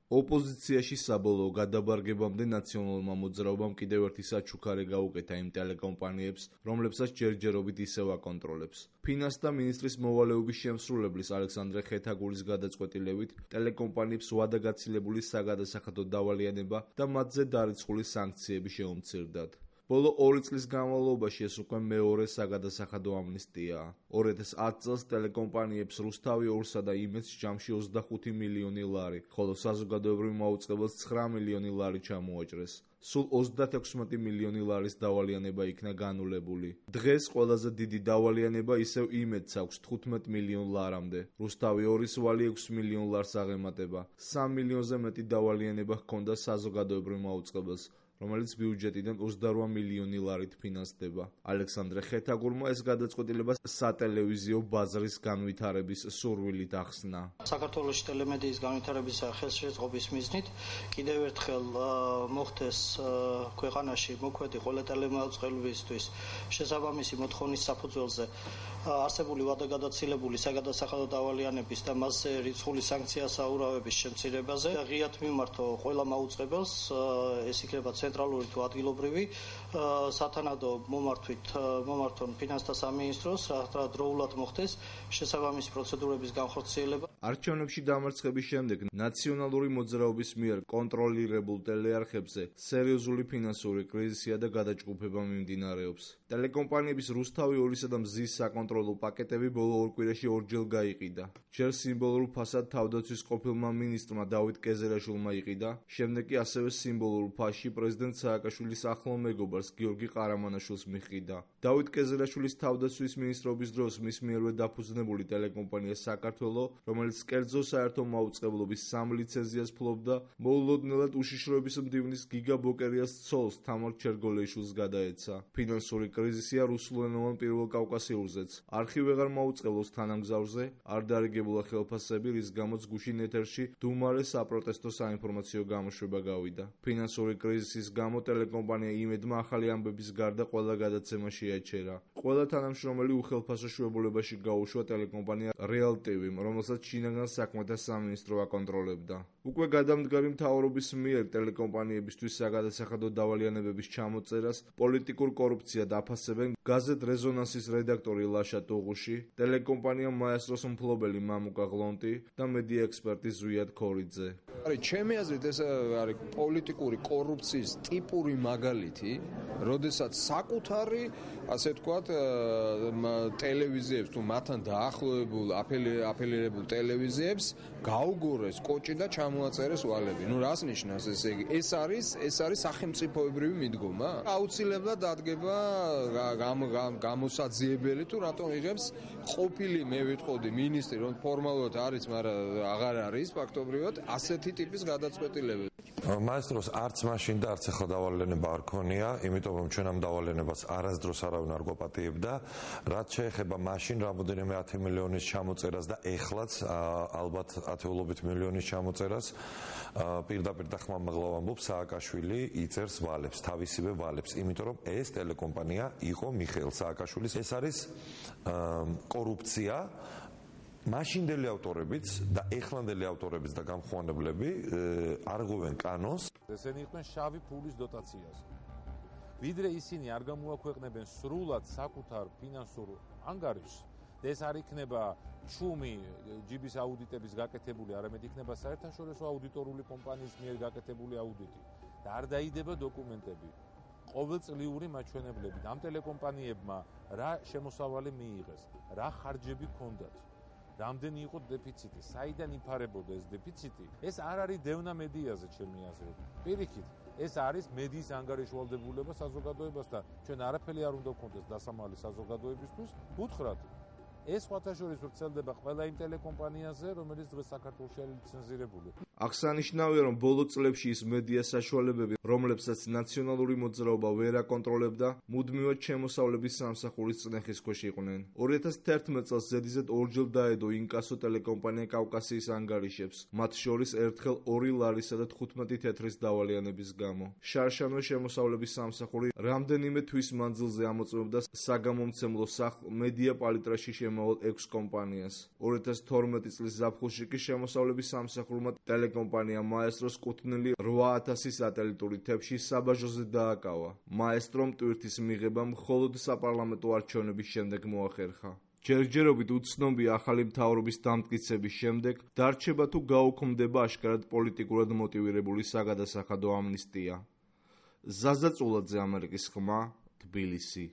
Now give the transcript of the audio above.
ოპოზიციაში საბოლოო გადაბარგებამდე ნაციონალურმა მოძრაობამ კიდევ ერთი საჩუქარი გაუკეთა იმ ტელეკომპანიებს, რომლებსაც ჯერჯერობით ისევ აკონტროლებს. ფინანსთა მინისტრის მოვალეობის შემსრულებლის ალექსანდრე ხეთაგულის გადაწყვეტილებით ტელეკომპანიებს ვადაგაცილებული საგადასახადო დავალიანება და მათზე დარიცხული სანქციები შეუმცირდათ. ბოლო 2 წლის განმავლობაში ეს უკვე მეორე საგადასახადო ამნისტიაა. 2010 წელს ტელეკომპანიებს რუსთავი 2-სა და იმედს ჯამში 25 მილიონი ლარი, ხოლო საზოგადოებრივ მაუწყებელს 9 მილიონი ლარი ჩამოაჭრეს. სულ 36 მილიონი ლარის დავალიანება იქნა განულებული. დღეს ყველაზე დიდი დავალიანება ისევ იმედს აქვს 15 მილიონ ლარამდე. რუსთავი 2-ის ვალი 6 მილიონ ლარს აღემატება. 3 მილიონზე მეტი დავალიანება ჰქონდა საზოგადოებრივ მაუწყებელს, რომელიც ბიუჯეტიდან 28 მილიონი ლარით ფინანსდება. ალექსანდრე ხეთაგურმა ეს გადაწყვეტილება სატელევიზიო ბაზრის განვითარების სურვილით ახსნა. საქართველოში ტელემედიის განვითარების ხელშეწყობის მიზნით კიდევ ერთხელ მოხდეს ქვეყანაში მოქმედი ყველა ტელემაუწყებლისთვის შესაბამისი მოთხოვნის საფუძველზე არსებული ვადაგადაცილებული საგადასახადო დავალიანების და მასზე რიცხული სანქციასაურავების შემცირებაზე ღიად მიმართო ყველა მაუწყებელს, ეს იქნება ცენტრალური თუ ადგილობრივი, სათანადო მომართონ ფინანსთა სამინისტროს, რა დროულად მოხდეს შესაბამისი პროცედურების განხორციელება. არჩევნებში დამარცხების შემდეგ ნაციონალური მოძრაობის მიერ კონტროლირებულ ტელეარხებზე სერიოზული ფინანსური კრიზისია და გადაჯგუფება მიმდინარეობს. ტელეკომპანიების რუსთავი 2-სა და მზის საკონტროლო პაკეტები ბოლო 2 კვირაში ორჯერ გაიყიდა. ჯერ სიმბოლურ ფასად თავდაცვის ყოფილმა მინისტრმა დავით კეზერაშვილმა იყიდა, შემდეგ კი ასევე სიმბოლურ ფასში პრეზიდენტ სააკაშვილის ახლო მეგობარს გიორგი ყარამანაშვილს მიჰყიდა. დავით კეზერაშვილის თავდაცვის მინისტრობის დროს მის მიერვე დაფუძნებული ტელეკომპანია საქართველო, რომელიც კერძო საერთო მაუწყებლობის 3 ლიცენზიას ფლობდა, მოულოდნელად უშიშროების მდივნის გიგა ბოკერიას ცოლს თამარ ჩერგოლეიშვილს გადაეცა. ფინანსური კრიზისია რუსულენოვან პირველ კავკასიურზეც. არხი ვეღარ მაუწყებლობს თანამგზავრზე, არ დარიგებულა ხელფასები, რის გამოც გუშინ ეთერში დუმარე საპროტესტო საინფორმაციო გამოშვება გავიდა. ფინანსური კრიზისის გამო ტელეკომპანია იმედმა ახალი ამბების გარდა ყველა გადაცემა შეაჩერა. ყველა თანამშრომელი უხელფასო შვებულებაში გაუშვა ტელეკომპანია რეალ TV-მ, რომელსაც შინაგან საქმეთა სამინისტრო აკონტროლებდა. უკვე გადამდგარი მთავრობის მიერ ტელეკომპანიებისთვის საგადასახადო დავალიანებების ჩამოწერას პოლიტიკურ კორუფციად აფასებენ გაზეთ რეზონანსის რედაქტორი ლაშა ტუღუში, ტელეკომპანია მაესტროს მფლობელი მამუკა ღლონტი და მედია ექსპერტი ზვიად ქორიძე. ჩემი აზრით ეს არის პოლიტიკური კორუფციის ტიპური მაგალითი, როდესაც საკუთარი, ასე ვთქვათ, ტელევიზიებს თუ მათთან დაახლოებულ აფილირებულ ტელევიზიებს გაუგურეს კოჭი და ჩამოაწერეს ვალები. რას ნიშნავს ესე იგი? ეს არის სახელმწიფოებრივი მიდგომა? აუცილებლად დადგება გამოსაძიებელი თუ რატომ იღებს ყოფილი, მე ვიტყოდი, მინისტრი, რომ ფორმალურად არის, მაგრამ აღარ არის ფაქტობრივად ასეთი ტიპის გადაწყვეტილებები. მაესტროს არც მაშინ და არც ახლა დავალიანება არ ქონია, იმიტომ რომ ჩვენ ამ დავალიანებას არასდროს არავინ არ გვაპატიებდა, რაც შეეხება მაშინ რამოდენიმე 10 მილიონის ჩამოწერას და ეხლაც ალბათ ათეულობით მილიონის ჩამოწერას, პირდაპირ და ხმამაღლა ვამბობ, სააკაშვილი იწერს ვალებს, თავისივე ვალებს, იმიტომ რომ ეს ტელეკომპანია იყო მიხეილ სააკაშვილის. ეს არის კორუფცია. მაშინდელი ავტორებიც და ეხლანდელი ავტორებიც და გამხმოვანებლები არღვევენ კანონს. ესენი იყვნენ შავი ფულის დოტაციაზე. ვიდრე ისინი არ გამოაქვეყნებენ სრულად საკუთარ ფინანსურ ანგარიშს, ეს არ იქნება ჩუმი ჯიბის აუდიტების გაკეთებული, არამედ იქნება საერთაშორისო აუდიტორული კომპანიის მიერ გაკეთებული აუდიტი და არ დაიდება დოკუმენტები. ყოველწლიური მაჩვენებლებით ამ ტელეკომპანიებმა რა შემოსავალი მიიღეს, რა ხარჯები ჰქონდათ. რამდენი იყო დეფიციტი, საიდან იფარებოდა ეს დეფიციტი? ეს არ არის დევნა მედიაზე, ჩემი აზრით. პირიქით, ეს არის მედიის ანგარიშვალდებულება საზოგადოებასთან. ჩვენ არაფერი არ უნდა გქონდეს დასამალი საზოგადოებისთვის. უთხრათ, ეს სხვათაშორის ვრცელდება ყველა იმ ტელეკომპანიაზე, რომელიც დღეს საქართველოში არის ლიცენზირებული. აღსანიშნავია, რომ ბოლო წლებში ის მედია საშუალებები, რომლებსაც ნაციონალური მოძრაობა ვერ აკონტროლებდა, მუდმივად შემოსავლების სამსახურის წნეხის ქვეშ იყვნენ. 2011 წელს ზედიზედ ორჯერ დაედო ინკასო ტელეკომპანია კავკასიის ანგარიშებს, მათ შორის ერთხელ 2 ლარისა და 15 თეთრის დავალიანების გამო. შარშანო შემოსავლების სამსახური რამდენიმე თვის მანძილზე ამოწმებდა საგამომცემლო სახლ მედია პალიტრაში გარშემავალ 6 კომპანიას. 2012 წლის ზაფხულში კი შემოსავლების სამსახურმა ტელეკომპანია მაესტროს კუთვნილი 8000 სატელიტური თებში საბაჟოზე დააკავა. მაესტრომ ტვირთის მიღება მხოლოდ საპარლამენტო არჩევნების შემდეგ მოახერხა. ჯერჯერობით უცნობია ახალი მთავრობის დამტკიცების შემდეგ დარჩება თუ გაუქმდება აშკარად პოლიტიკურად მოტივირებული საგადასახადო ამნისტია. ზაზა წულაძე, ამერიკის ხმა, თბილისი.